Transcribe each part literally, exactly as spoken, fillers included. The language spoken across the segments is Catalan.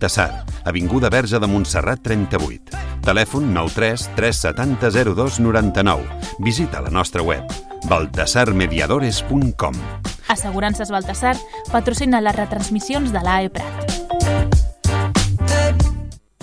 Baltasar, avinguda Verge de Montserrat trenta-vuit. Telèfon nou tres tres set zero zero dos nou nou. Visita la nostra web baltasar mediadores punt com. Assegurances Baltasar patrocina les retransmissions de l'A E Prat.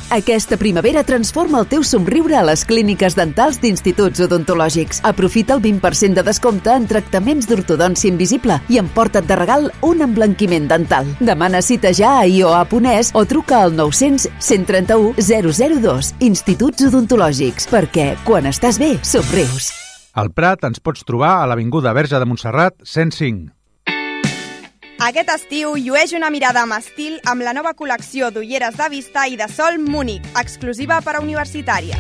Aquesta primavera transforma el teu somriure a les clíniques dentals d'Instituts Odontològics. Aprofita el vint per cent de descompte en tractaments d'ortodòncia invisible i emporta't de regal un emblanquiment dental. Demana cita ja a i o a punt es o truca al nou cents cent trenta-u zero zero dos. Instituts Odontològics, perquè quan estàs bé, somrius. Al Prat ens pots trobar a l'Avinguda Verge de Montserrat cent cinc. Aquest estiu llueix una mirada amb estil amb la nova col·lecció d'ulleres de vista i de sol Múnich, exclusiva per a universitària.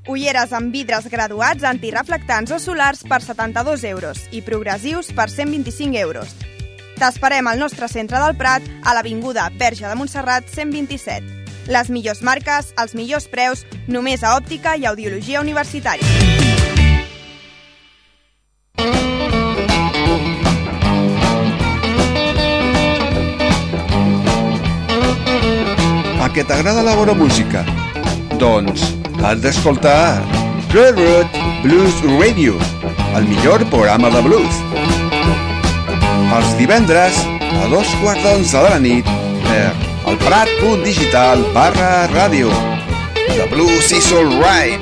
Ulleres amb vidres graduats antireflectants o solars per setanta-dos euros i progressius per cent vint-i-cinc euros. T'esperem al nostre centre del Prat, a l'Avinguda Verge de Montserrat cent vint-i-set. Les millors marques, els millors preus, només a òptica i audiologia universitària. A què t'agrada la bona música? Doncs has d'escoltar Railroad Blues Radio, el millor programa de blues. Els divendres a dos quarts d'onze de la nit per el prat punt digital barra ràdio. The blues is all right.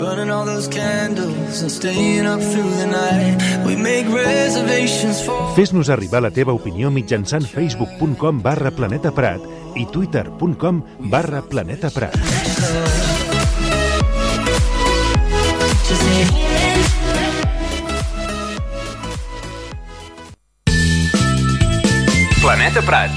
Burning all those candles and staying up through the night. We make reservations for... Fes-nos arribar la teva opinió mitjançant facebook punt com barra planeta prat i twitter punt com barra planeta prat. Planeta Prat.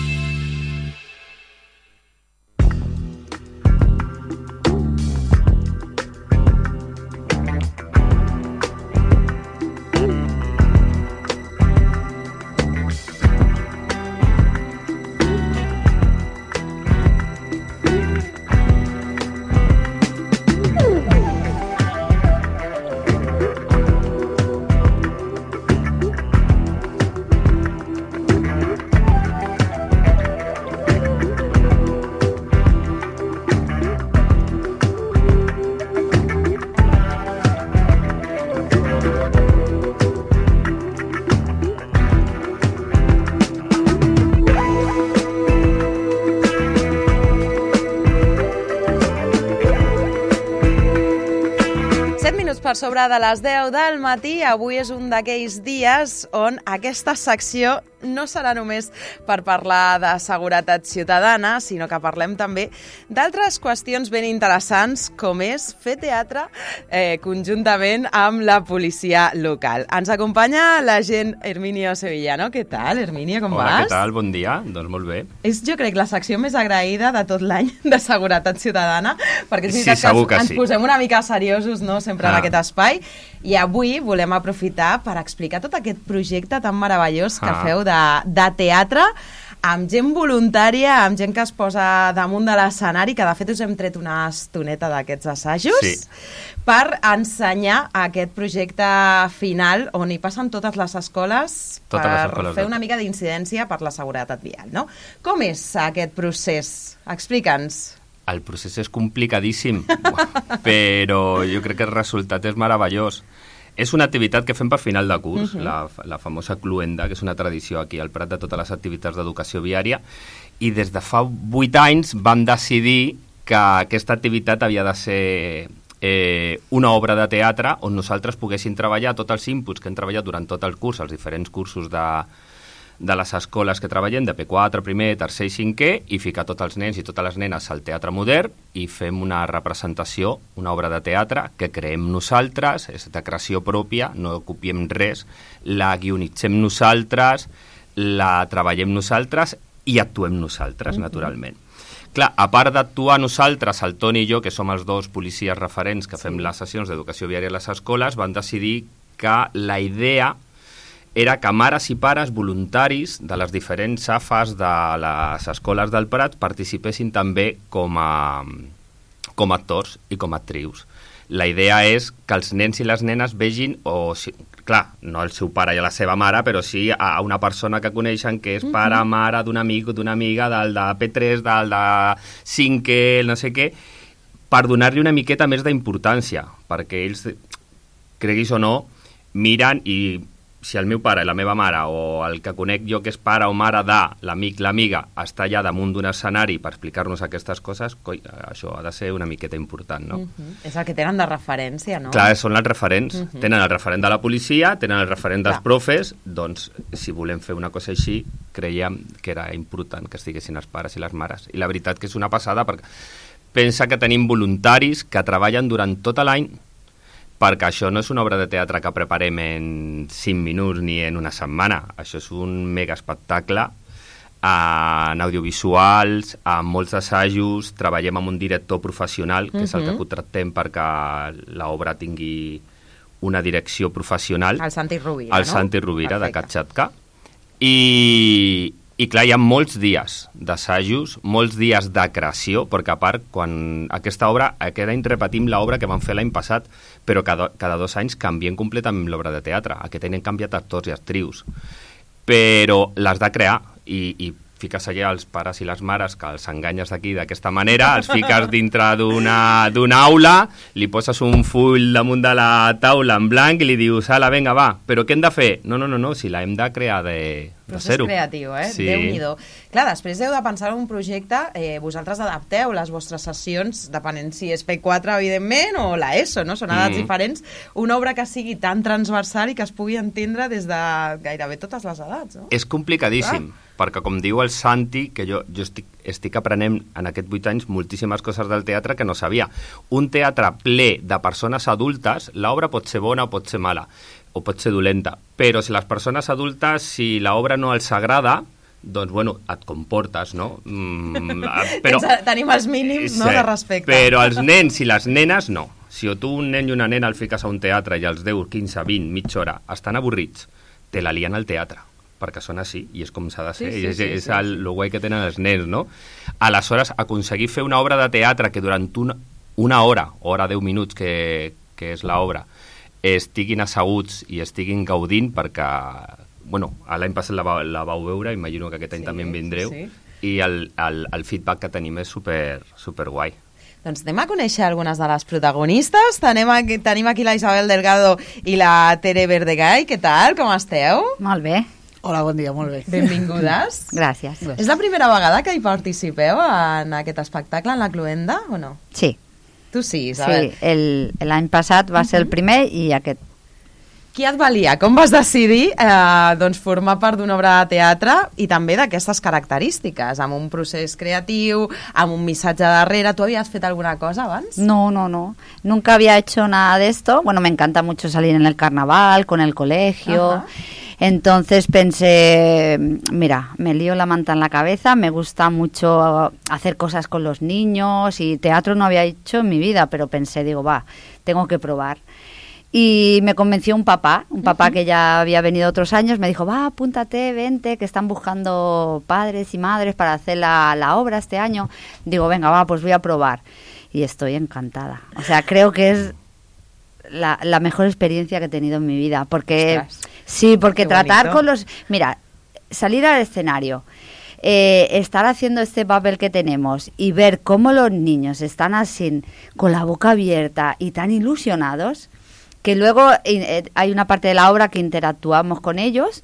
Per sobre de les deu del matí, avui és un d'aquells dies on aquesta secció no serà només per parlar de seguretat ciutadana, sinó que parlem també d'altres qüestions ben interessants, com és fer teatre eh, conjuntament amb la policia local. Ens acompanya l'agent Herminio Sevillano. Què tal, Herminio, com Hola, vas? Hola, què tal? Bon dia. Doncs molt bé. És, jo crec, la secció més agraïda de tot l'any de seguretat ciutadana, perquè és sí, veritat que, que ens, sí. ens posem una mica seriosos, no?, sempre ah. en aquest espai, i avui volem aprofitar per explicar tot aquest projecte tan meravellós que ah. feu de, de teatre amb gent voluntària, amb gent que es posa damunt de l'escenari, que de fet us hem tret una estoneta d'aquests assajos, sí. per ensenyar aquest projecte final on hi passen totes les escoles totes per les escoles fer una mica d'incidència per la seguretat vial, no? Com és aquest procés? Explica'ns. El procés és complicadíssim, però jo crec que el resultat és meravellós. És una activitat que fem per final de curs, uh-huh. la, la famosa cluenda, que és una tradició aquí al Prat de totes les activitats d'educació viària, i des de fa vuit anys vam decidir que aquesta activitat havia de ser eh, una obra de teatre on nosaltres poguéssim treballar tots els inputs que hem treballat durant tot el curs, els diferents cursos de, de les escoles que treballem, de P quatre, primer, tercer i cinquè, i ficar tots els nens i totes les nenes al teatre modern i fem una representació, una obra de teatre que creem nosaltres, és de creació pròpia, no copiem res, la guionitzem nosaltres, la treballem nosaltres i actuem nosaltres, mm-hmm. naturalment. Clar, a part d'actuar nosaltres, el Toni i jo, que som els dos policies referents que fem sí. les sessions d'educació viària a les escoles, van decidir que la idea era que mares i pares voluntaris de les diferents A F As de les escoles del Prat participessin també com a, com a actors i com a actrius. la idea és que els nens i les nenes vegin, o si, clar, no el seu pare i la seva mare, però sí a una persona que coneixen que és pare, uh-huh. mare d'un amic o d'una amiga, del de P tres, del de cinquè, no sé què, per donar-li una miqueta més d'importància, perquè ells, creguis o no, miren i si el meu pare i la meva mare o el que conec jo que és pare o mare de l'amic, l'amiga, està allà damunt d'un escenari per explicar-nos aquestes coses, coi, això ha de ser una miqueta important, no? Uh-huh. És el que tenen de referència, no? Clar, són els referents. Uh-huh. Tenen el referent de la policia, tenen el referent dels Clar. profes, doncs, si volem fer una cosa així, creiem que era important que estiguessin els pares i les mares. I la veritat que és una passada, perquè pensa que tenim voluntaris que treballen durant tot l'any, perquè això no és una obra de teatre que preparem en cinc minuts ni en una setmana. Això és un mega espectacle en audiovisuals, amb molts assajos, treballem amb un director professional, que uh-huh. és el que contractem perquè l'obra tingui una direcció professional. El Santi Rovira, el no? Santi Rovira, Perfecte. de Katxatka. I, I clar, hi ha molts dies d'assajos, molts dies de creació, perquè a part, quan aquesta obra, aquest any repetim l'obra que vam fer l'any passat, però cada, cada dos anys canviem completament l'obra de teatre. Aquest any hem canviat actors i actrius. Però l'has de crear i, i fiques allà els pares i les mares que els enganyes d'aquí d'aquesta manera, els fiques dintre d'una d'una aula, li poses un full damunt de la taula en blanc i li dius, ala, vinga, va, però què hem de fer? No, no, no, no, si la hem de crear de, de zero. Procés creatiu, eh? Sí. Déu-n'hi-do. Clar, després heu de pensar en un projecte, eh, vosaltres adapteu les vostres sessions, depenent si és P quatre, evidentment, o la ESO, no? Són edats mm. diferents. Una obra que sigui tan transversal i que es pugui entendre des de gairebé totes les edats, no? És complicadíssim. Clar. Perquè com diu el Santi, que jo, jo estic, estic aprenent en aquests vuit anys moltíssimes coses del teatre que no sabia. Un teatre ple de persones adultes, l'obra pot ser bona o pot ser mala, o pot ser dolenta, però si les persones adultes, si l'obra no els agrada, doncs, bueno, et comportes, no? Mm, però, tenim els mínims, sí, no, de respecte. Però els nens i les nenes, no. Si tu un nen i una nena el fiques a un teatre i els deu, quinze, vint, mitja hora, estan avorrits, te la lien al teatre, perquè són així, i és com s'ha de ser, sí, sí, i és, sí, és sí, el, sí. el guai que tenen els nens, no? Aleshores, aconseguir fer una obra de teatre que durant una, una hora, hora deu minuts, que, que és l'obra, estiguin asseguts i estiguin gaudint, perquè, bueno, l'any passat la, la vau veure, imagino que aquest any sí, també en vindreu, sí, sí. I el, el, el feedback que tenim és super, super guai. Doncs anem a conèixer algunes de les protagonistes. Tenim aquí, tenim aquí la Isabel Delgado i la Tere Verdegay. Què tal? Com esteu? Molt bé. Hola, bon dia, molt bé. Benvingudes. Gràcies. És la primera vegada que hi participeu en aquest espectacle, en la Cluenda, o no? Sí. Tu sí, Isabel. Sí, l'any passat va ser el primer i aquest. Qui et valia? Com vas decidir eh, doncs formar part d'una obra de teatre i també d'aquestes característiques, amb un procés creatiu, amb un missatge darrere? ¿Tú habías fet alguna cosa abans? No, no, no. Nunca había hecho nada de esto. Bueno, me encanta mucho salir en el carnaval, con el colegio. Ajá. Entonces pensé, mira, me lío la manta en la cabeza, me gusta mucho hacer cosas con los niños y teatro no había hecho en mi vida, pero pensé, digo, va, tengo que probar. Y me convenció un papá, un papá uh-huh. que ya había venido otros años, me dijo, va, apúntate, vente, que están buscando padres y madres para hacer la, la obra este año. Digo, venga, va, pues voy a probar. Y estoy encantada. O sea, creo que es la, la mejor experiencia que he tenido en mi vida. Porque Ostras, sí, porque tratar bonito. Con los... Mira, salir al escenario, eh, estar haciendo este papel que tenemos y ver cómo los niños están así, con la boca abierta y tan ilusionados... que luego eh, hay una parte de la obra que interactuamos con ellos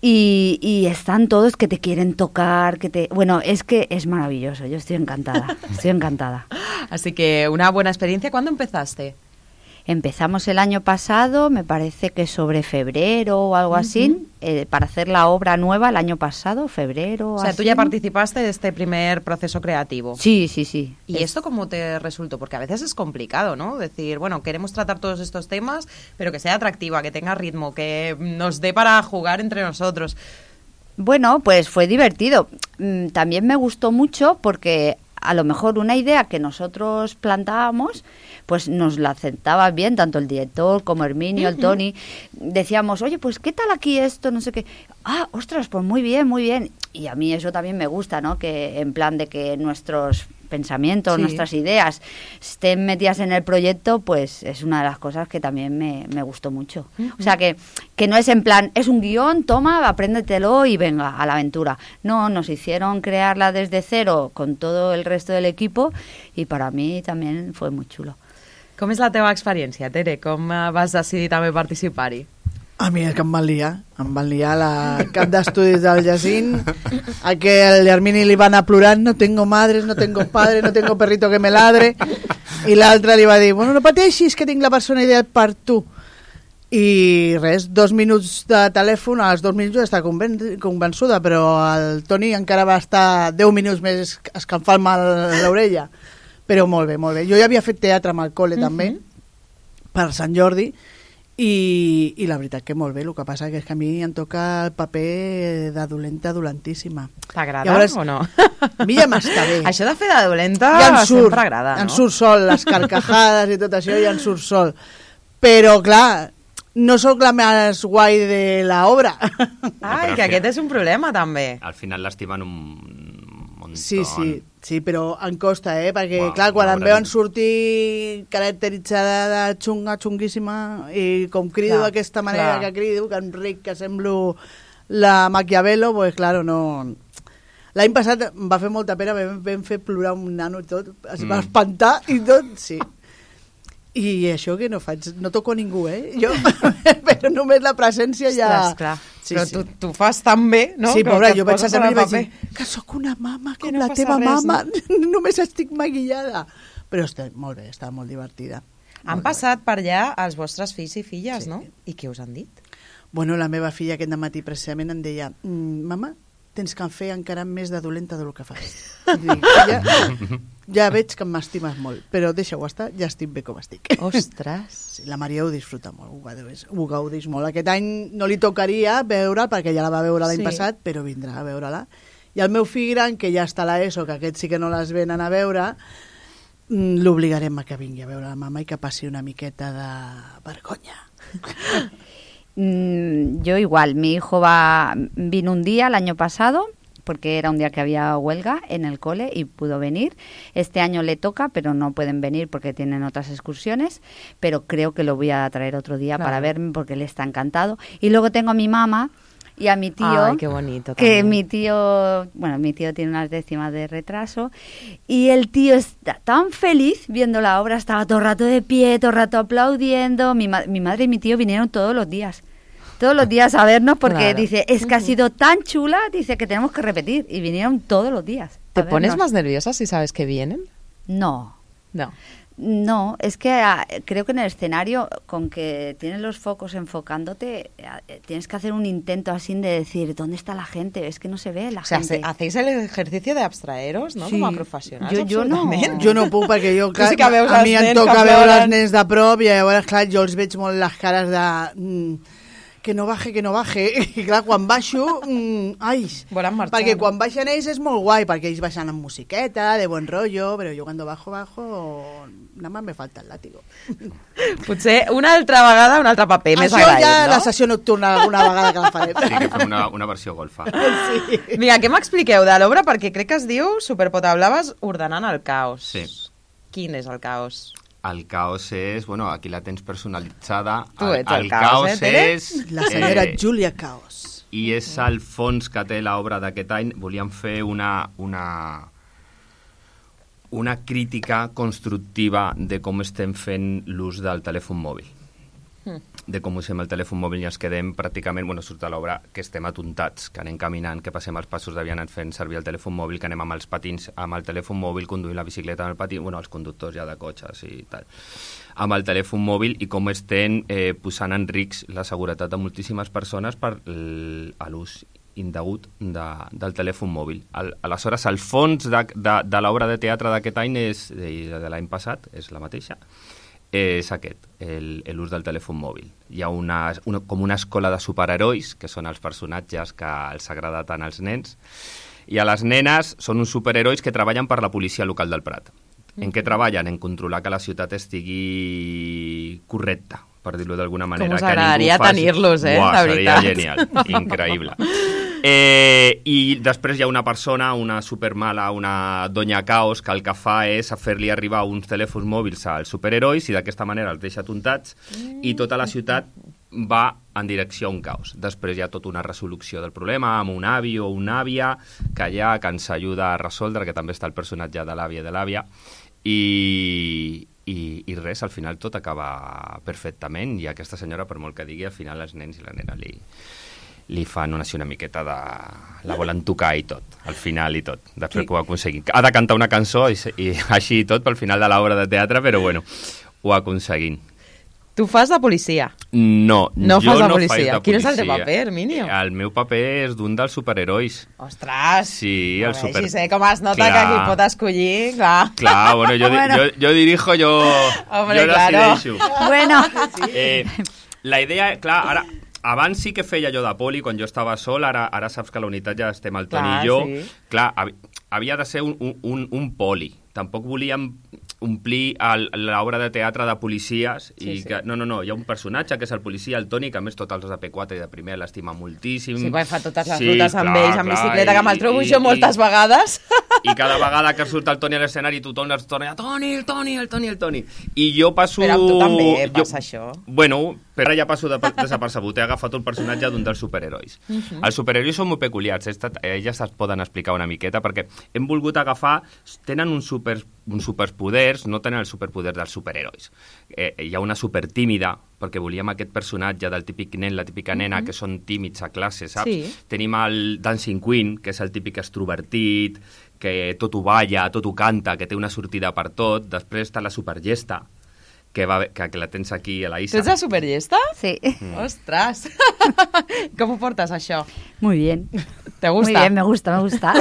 y, y están todos que te quieren tocar, que te... Bueno, es que es maravilloso, yo estoy encantada, estoy encantada. Así que una buena experiencia. ¿Cuándo empezaste? Empezamos el año pasado, me parece que sobre febrero o algo uh-huh. así, eh, para hacer la obra nueva el año pasado, febrero. O sea, así. Tú ya participaste de este primer proceso creativo. Sí, sí, sí. ¿Y es... esto cómo te resultó? Porque a veces es complicado, ¿no? Decir, bueno, queremos tratar todos estos temas, pero que sea atractiva, que tenga ritmo, que nos dé para jugar entre nosotros. Bueno, pues fue divertido. También me gustó mucho porque a lo mejor una idea que nosotros plantábamos, pues nos la aceptaba bien, tanto el director como Herminio, uh-huh. el Tony. Decíamos, oye, pues ¿qué tal aquí esto? No sé qué. Ah, ostras, pues muy bien, muy bien. y a mí eso también me gusta, ¿no? Que en plan de que nuestros pensamientos, Sí. nuestras ideas estén metidas en el proyecto, pues es una de las cosas que también me, me gustó mucho. Uh-huh. O sea, que, que no es en plan, es un guión, toma, apréndetelo y venga, a la aventura. No, nos hicieron crearla desde cero con todo el resto del equipo y para mí también fue muy chulo. Com és la teva experiència, Tere? Com eh, vas decidir també participar-hi? A mi és que em van liar, em van liar la cap d'estudis del Jacint, a que el Hermini li va anar plorant, no tengo madres, no tengo padre, no tengo perrito que me ladre, i l'altre li va dir, bueno, no pateixis que tinc la persona ideal per tu. I res, dos minuts de telèfon, als dos minuts ja està conven convençuda, però el Toni encara va estar deu minuts més escalfant-me l'orella. Però molt bé, molt bé. Jo ja havia fet teatre amb el col·le uh -huh. també, per Sant Jordi, I, i la veritat que molt bé, el que passa que és que a mi em toca el paper de dolenta dolentíssima. T'agrada Llavors, o no? A mi ja m'està bé. Això de fer de dolenta ja surt, sempre agrada, no? Em surt sol, les carcajades i tot això ja em surt sol. Però, clar, no sóc la més guai de l'obra. Ai, que aquest és un problema, també. Al final l'estimen un muntó. Sí, sí, sí, però em costa, eh? Perquè, Uau, clar, quan em no veuen sortir caracteritzada de xunga, xunguíssima, i com crido Clar, d'aquesta manera clar. que crido, que enric, que semblo la Maquiavelo, pues, claro, no... L'any passat em va fer molta pena, vam, vam fer plorar un nano i tot, es va Mm. espantar i tot, sí. I això que no faig, no toco a ningú, eh? Jo, però només la presència ja... Ostres, clar. Sí, Però sí. tu, tu fas tan bé, no? Sí, que pobra, et jo vaig poses a en el mi i vaig paper. dir que sóc una mama Que com no la passa teva res, mama, només estic maquillada. Però està molt bé, està molt divertida. Han passat per allà els vostres fills i filles, sí. no? I què us han dit? Bueno, la meva filla aquest matí precisament em deia mm, mama, tens que fer encara més de dolenta del que fas. I dic, ja, ja veig que m'estimes molt, però deixa-ho estar, ja estic bé com estic. Ostres! Sí, la Maria ho disfruta molt, ho gaudeix, ho gaudeix molt. Aquest any no li tocaria veure'l, perquè ja la va veure l'any Sí. passat, però vindrà a veure-la. I el meu fill gran, que ja està a l'ESO, que aquest sí que no les venen a veure, mm, l'obligarem a que vingui a veure la mama i que passi una miqueta de vergonya. Mm, yo igual, mi hijo va vino un día el año pasado, porque era un día que había huelga en el cole y pudo venir. Este año le toca, pero no pueden venir porque tienen otras excursiones, pero creo que lo voy a traer otro día Claro. para verme porque él está encantado. Y luego tengo a mi mamá y a mi tío, Ay, qué bonito que también. mi tío, bueno, mi tío tiene unas décimas de retraso y el tío está tan feliz viendo la obra, estaba todo el rato de pie, todo el rato aplaudiendo. Mi, ma- mi madre y mi tío vinieron todos los días. Todos los días a vernos porque Claro. dice, es que ha sido tan chula, dice que tenemos que repetir. Y vinieron todos los días. ¿Te a pones vernos. más nerviosa si sabes que vienen? No, No. no, es que ah, creo que en el escenario, con que tienes los focos enfocándote, ah, eh, tienes que hacer un intento así de decir, ¿dónde está la gente? Es que no se ve la O sea, gente. se- hacéis el ejercicio de abstraeros, no? Sí. Com a professionals, Jo- jo no. absolutament. Jo no puc perquè jo, Tu clar, sí que veus a els mi em nens toca que veure els ploren. nens de prop i llavors, clar, jo els veig molt les cares de... Mm, que no baje, que no baje. I clar, quan baixo, mm, ai, Volen marxar, perquè no? quan baixen ells és molt guai, perquè ells baixen amb musiqueta, de buen rollo, però jo quan bajo, bajo, nada más me falta el látigo. Potser una altra vegada, un altre paper més Això agraït, ja no? la sessió nocturna alguna vegada que la farem. Sí, que fem una, una versió golfa. Sí. Vinga, què m'expliqueu de l'obra? Perquè crec que es diu Superpotablaves ordenant el caos. Sí. Quin és el caos? El caos és, bueno, aquí la tens personalitzada. Tu ets el caos, eh, Tere? és... La senyora eh, Júlia Caos. I és el fons que té l'obra d'aquest any. Volíem fer una, una, una crítica constructiva de com estem fent l'ús del telèfon mòbil. Mm. De com usem el telèfon mòbil i ens quedem pràcticament, bueno, surt a l'obra, que estem atontats, que anem caminant, que passem els passos de vianant fent servir el telèfon mòbil, que anem amb els patins, amb el telèfon mòbil, conduint la bicicleta amb el patí, bueno, els conductors ja de cotxes i tal, amb el telèfon mòbil i com estem eh, posant en risc la seguretat de moltíssimes persones per l- a l'ús indegut de, del telèfon mòbil. Al, aleshores, el fons de, de, de l'obra de teatre d'aquest any és, i de l'any passat és la mateixa, és aquest, el- l'ús del telèfon mòbil. Hi ha una, una, com una escola de superherois, que són els personatges que els agrada tant als nens, i a les nenes són uns superherois que treballen per la policia local del Prat. En què treballen? En controlar que la ciutat estigui correcta, per dir-ho d'alguna manera. us que ningú agradaria faci- tenir-los, eh, Buah, de seria veritat. genial, increïble. Eh, I després hi ha una persona, una supermala, una doña Caos, que el que fa és fer-li arribar uns telèfons mòbils als superherois i d'aquesta manera els deixa tontats mm. i tota la ciutat va en direcció a un caos. Després hi ha tota una resolució del problema amb un avi o una àvia que allà que ens ajuda a resoldre, que també està el personatge de l'àvia i de l'àvia, i, i, i res, al final tot acaba perfectament i aquesta senyora, per molt que digui, al final els nens i la nena li, li fan una, una miqueta de... la volen tocar i tot, al final i tot, després sí. que ho aconseguim. Ha de cantar una cançó i, i així i tot pel final de l'obra de teatre, però bueno, ho aconseguim. Tu fas de policia? No, no jo fas de no policia. faig de policia. Quin és el teu paper, Herminio? El meu paper és d'un dels superherois. Ostres! Sí, el super... Si sé com es nota clar. Que qui pot escollir, clar. Clar, bueno, jo, bueno. jo, jo dirijo, jo, Hombre, jo claro. decideixo. Bueno. Eh, la idea, clar, ara... Abans sí que feia jo de poli, quan jo estava sol, ara, ara saps que a la unitat ja estem el Toni i jo. Sí. Clar, havia de ser un, un, un poli. Tampoc volíem omplir l'obra de teatre de policies sí, i que, sí. no, no, no, hi ha un personatge que és el policia, el Toni, que a més tots els de P quatre i de primer l'estima moltíssim. Sí, quan fa totes les sí, rutes amb clar, ells, amb clar, bicicleta, que me'l trobo i, jo moltes i, vegades. I cada vegada que surt el Toni a l'escenari tothom es torna a Toni, el Toni, el Toni, el Toni. I jo passo... Però amb tu també passa jo, això. Bueno, però ja passo de, desapercebut. He agafat un personatge d'un dels superherois. Uh -huh. Els superherois són molt peculiars. Elles es poden explicar una miqueta perquè hem volgut agafar... Tenen un super, uns superpoders, no tenen els superpoders dels superherois. Eh, hi ha una supertímida, perquè volíem aquest personatge del típic nen, la típica nena, uh -huh. que són tímids a classe, saps? Sí. Tenim el Dancing Queen, que és el típic extrovertit, que tot ho balla, tot ho canta, que té una sortida per tot. Després està la supergesta, que, va, que, que la tens aquí a la Isa. Tu ets la supergesta? Sí. Mm. Ostres! Com ho portes, això? Muy bien. ¿Te gusta? Muy bien, me gusta, me gusta.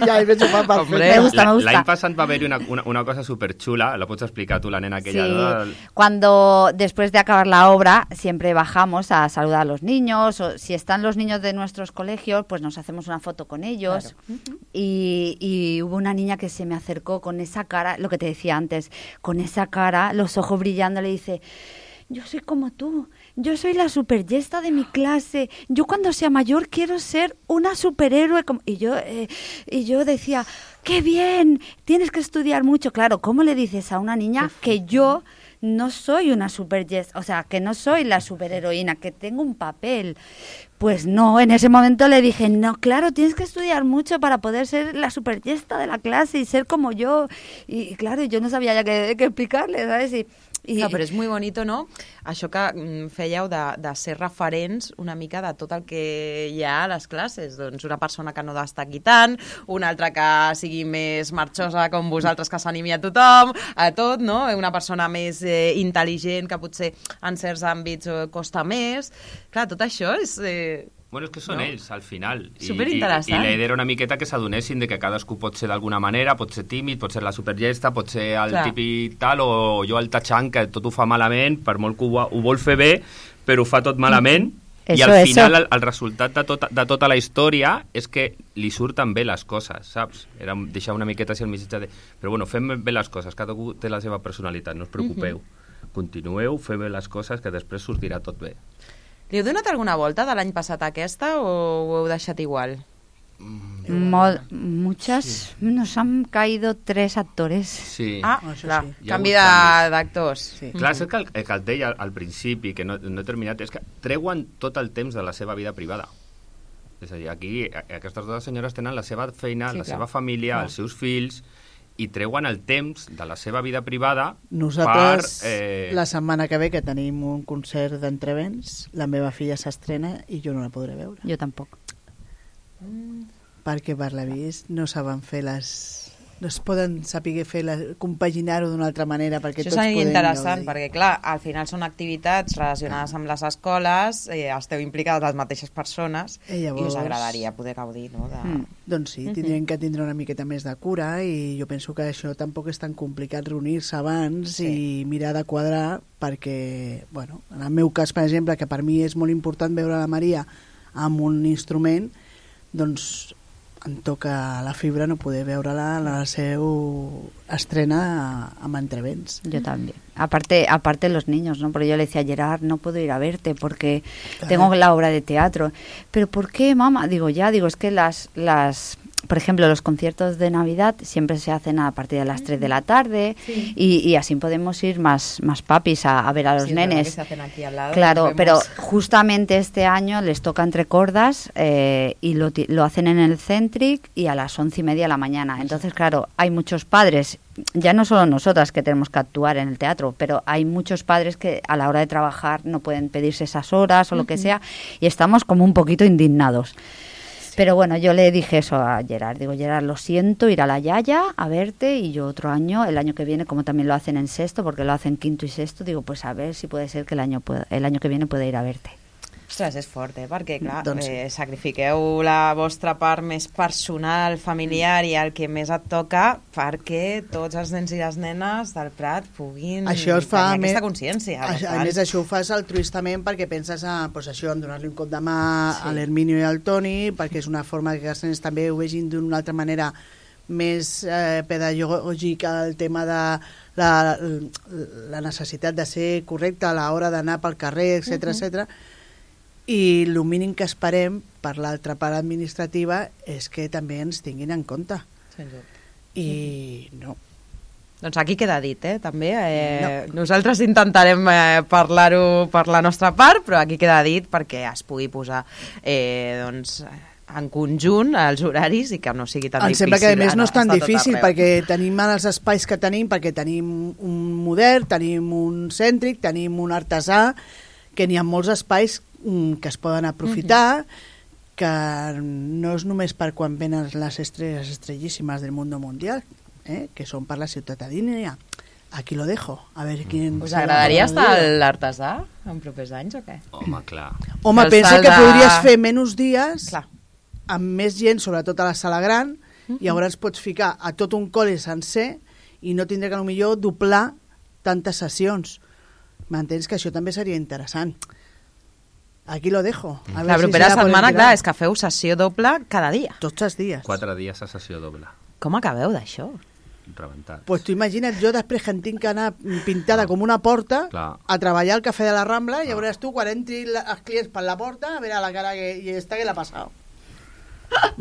Ya, me gusta, me gusta, me gusta. L'any passat va haver una, una, una cosa superchula, la pots explicar tú, la nena aquella. Sí, ¿no? Cuando después de acabar la obra siempre bajamos a saludar a los niños, o si están los niños de nuestros colegios, pues nos hacemos una foto con ellos. Claro. Uh-huh. y, y hubo una niña que se me acercó con esa cara, lo que te decía antes, con esa cara, los ojos brillando, le dice... Yo soy como tú, yo soy la superyesta de mi clase, yo cuando sea mayor quiero ser una superhéroe. Como... Y, yo, eh, y yo decía, ¡qué bien! Tienes que estudiar mucho. Claro, ¿cómo le dices a una niña que yo no soy una superyesta? O sea, que no soy la superheroína, que tengo un papel. Pues no, en ese momento le dije, no, claro, tienes que estudiar mucho para poder ser la superyesta de la clase y ser como yo. Y, y claro, yo no sabía ya qué, qué explicarle, ¿sabes? Y, I... Clar, però és molt bonito, no? Això que fèieu de, de ser referents una mica de tot el que hi ha a les classes. Doncs una persona que no destaqui tant, una altra que sigui més marxosa com vosaltres, que s'animi a tothom, a tot, no? Una persona més eh, intel·ligent, que potser en certs àmbits eh, costa més. Clar, tot això és... Eh... Bueno, és que són no? ells, al final. I, Superinteressant. I, i la idea era una miqueta que s'adonessin de que cadascú pot ser d'alguna manera, pot ser tímid, pot ser la supergesta, pot ser el Clar. típic tal, o jo el tachant, que tot ho fa malament, per molt que ho, ho vol fer bé, però ho fa tot malament, mm. i al eso, final eso. El, el resultat de tota, de tota la història és que li surten bé les coses, saps? Era deixar una miqueta així el missatge de... Però bueno, fem bé les coses, cadascú té la seva personalitat, no us preocupeu. Mm-hmm. Continueu, feu bé les coses, que després sortirà tot bé. Li heu donat alguna volta de l'any passat a aquesta o ho heu deixat igual? Mol, muchas, sí. Nos han caído tres actores. Sí. Ah, oh, clar, sí. canvi d'actors. Sí. Clar, és que el, el que et deia al principi, que no, no he terminat, és que treuen tot el temps de la seva vida privada. És a dir, aquí aquestes dues senyores tenen la seva feina, sí, la clar. seva família, clar. els seus fills, i treuen el temps de la seva vida privada. Nosaltres, per, eh... la setmana que ve, que tenim un concert d'entrevents, la meva filla s'estrena i jo no la podré veure. Jo tampoc. Mm. Perquè per l'avís no saben fer les... no es poden saber fer la... compaginar-ho d'una altra manera perquè això tots és podem interessant, perquè clar, al final són activitats relacionades amb les escoles, eh, esteu implicades les mateixes persones i, llavors... i us agradaria poder gaudir, no? De... Mm. Doncs sí, tindrien que tindre una miqueta més de cura i jo penso que això tampoc és tan complicat reunir-se abans sí. i mirar de quadrar perquè, bueno, en el meu cas, per exemple, que per mi és molt important veure la Maria amb un instrument, doncs em toca la fibra no poder veure-la en la seva estrena amb entrevents. Yo también. Aparte, aparte los niños, ¿no? Porque yo le decía a Gerard, no puedo ir a verte porque Claro. tengo la obra de teatro. ¿Pero por qué, mamá? Digo, ya, digo, es que las... las por ejemplo, los conciertos de Navidad siempre se hacen a partir de las tres de la tarde Sí. y, y así podemos ir más, más papis a, a ver a los Sí, es verdad nenes. que se hacen aquí al lado, Claro, nos pero vemos. justamente este año les toca entre cordas eh, y lo, ti- lo hacen en el Centric y a las once y media de la mañana. Entonces, claro, hay muchos padres, ya no solo nosotras que tenemos que actuar en el teatro, pero hay muchos padres que a la hora de trabajar no pueden pedirse esas horas o lo que Ujú. sea y estamos como un poquito indignados. Pero bueno, yo le dije eso a Gerard. Digo, Gerard, lo siento, ir a la Yaya a verte y yo otro año, el año que viene, como también lo hacen en sexto, porque lo hacen quinto y sexto, digo, pues a ver si puede ser que el año, pueda- el año que viene pueda ir a verte. Ostres, és fort, eh? Perquè, clar, Doncs sí. eh, sacrifiqueu la vostra part més personal, familiar i el que més et toca perquè tots els nens i les nenes del Prat puguin Això es fa tenir més- aquesta consciència. A, a més, això ho fas altruistament perquè penses a, pues, això, en donar-li un cop de mà Sí. a l'Herminio i al Toni, perquè és una forma que els nens també ho vegin d'una altra manera més eh, pedagògica, el tema de la, la necessitat de ser correcte a l'hora d'anar pel carrer, etcètera, Mhm. etcètera. I el mínim que esperem per l'altra part administrativa és que també ens tinguin en compte. Sens dubte. I no. Doncs aquí queda dit, eh, també. Eh, no. Nosaltres intentarem eh, parlar-ho per la nostra part, però aquí queda dit perquè es pugui posar eh, doncs, en conjunt els horaris i que no sigui tan Em difícil. sembla que a més no és tan estar tot difícil arreu. perquè tenim els espais que tenim, perquè tenim un modern, tenim un cèntric, tenim un artesà, que n'hi ha molts espais mm, que es poden aprofitar, que no és només per quan venen les estrelles estrellíssimes del mundo mundial, eh, que són per la ciutadania. Aquí lo dejo, a veure quin... Us agradaria estar a l'artesà en propers anys o què? Home, clar. Home, Els pensa salts que de- podries fer menys dies, Clar. amb més gent, sobretot a la sala gran, i llavors pots ficar a tot un col·le sencer i no tindré que potser doblar tantes sessions. M'entens que això també seria interessant. Aquí lo dejo. A La ver si propera se la podem setmana, tirar. clar, és que feu sessió doble cada dia. Tots els dies. Quatre dies a sessió doble. Com acabeu d'això? Rebentat. Pues tu imagina't jo després que en tinc que anar pintada com una porta Clar. a treballar al Cafè de la Rambla i ja veuràs tu quan entri la, els clients per la porta a veure la cara que, i esta que l'ha passat.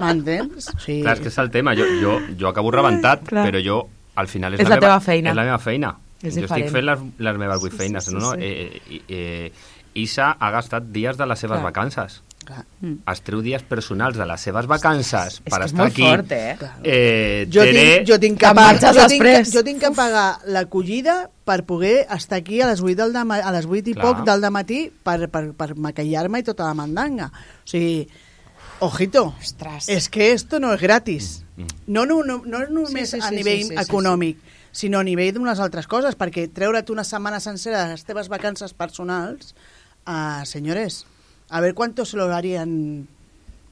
M'entens? Sí. Clar, és que és el tema. Jo, jo, jo acabo rebentat, Clar. però jo, al final, és, És la teva feina. És la meva feina. És jo diferent. estic fent les, les meves vuit Sí, sí, feines. sí, no? sí. Eh, eh, eh, Isa ha gastat dies de les seves Clar. vacances. Clar. Es treu dies personals de les seves vacances És per que és estar molt aquí. fort, eh? Eh, Jo Tere, tinc, jo, tinc que Te'n pagar, marxes jo, tinc, després. jo tinc que pagar l'acollida per poder estar aquí a les vuit, del dema, a les vuit i Clar. poc del dematí per, per, per maquillar-me i tota la mandanga. O sigui, ojito, Ostres. és que esto no és gratis. Mm. No, no, no, no és només Sí, sí, sí, a nivell sí, sí, sí, econòmic, sinó a nivell d'unes altres coses, perquè treure't una setmana sencera de les teves vacances personals, uh, senyores, a ver cuánto se lo harían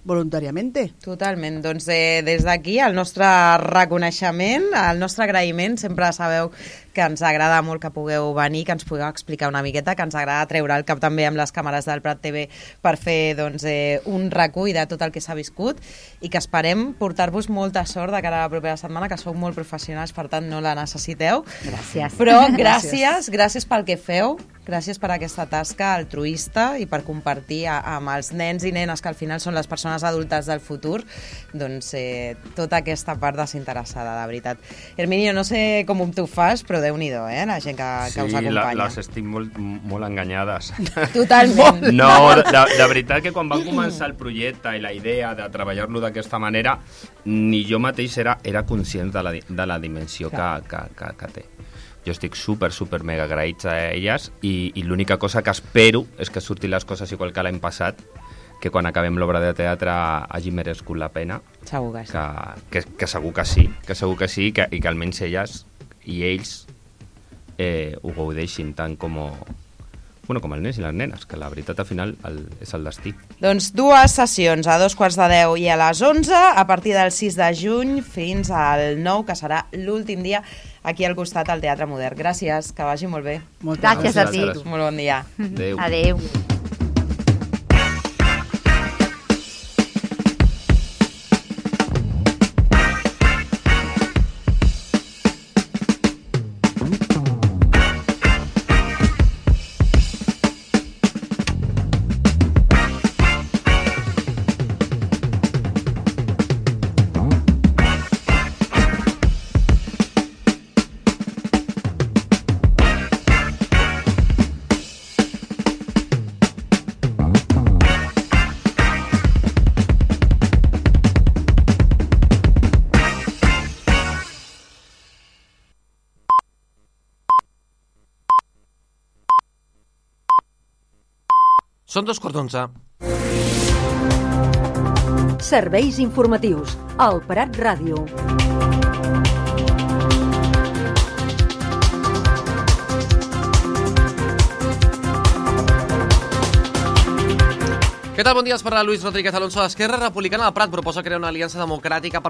voluntariamente. Totalment. Doncs eh, des d'aquí el nostre reconeixement, el nostre agraïment, sempre sabeu que ens agrada molt que pugueu venir, que ens pugueu explicar una miqueta, que ens agrada treure el cap també amb les càmeres del Prat T V per fer doncs, eh, un recull de tot el que s'ha viscut i que esperem portar-vos molta sort de cara a la propera setmana, que sou molt professionals, per tant no la necessiteu. Gràcies. Però gràcies, gràcies pel que feu, gràcies per aquesta tasca altruista i per compartir a, amb els nens i nenes, que al final són les persones adultes del futur, doncs eh, tota aquesta part desinteressada, de veritat. Herminio, no sé com tu fas, però déu-n'hi-do, eh, la gent que, que us Sí, la, acompanya. les estic molt, molt enganyades. Totalment. No, de, de veritat que quan va començar el projecte i la idea de treballar-lo d'aquesta manera, ni jo mateix era, era conscient de la, di- de la dimensió que, que, que, que té. Jo estic super, super mega agraïts a elles i, i l'única cosa que espero és que surtin les coses igual que l'any passat, que quan acabem l'obra de teatre hagi merescut la pena. Segur que sí. Que, que, que segur que sí, que segur que sí, que, i que almenys elles i ells eh, ho gaudeixin tant com, bueno, com els nens i les nenes, que la veritat al final el, és el destí. Doncs dues sessions, a dos quarts de deu i a les onze, a partir del sis de juny fins al nou, que serà l'últim dia aquí al costat al Teatre Modern. Gràcies, que vagi molt bé. Moltes Gràcies a ti. gràcies. Molt bon dia. Adéu. Adéu. Són dos quarts d'onze. Serveis informatius. El Prat Ràdio. Què tal? Bon dia, es parla Luis Rodríguez Alonso d'Esquerra Republicana. El Prat proposa crear una aliança democràtica per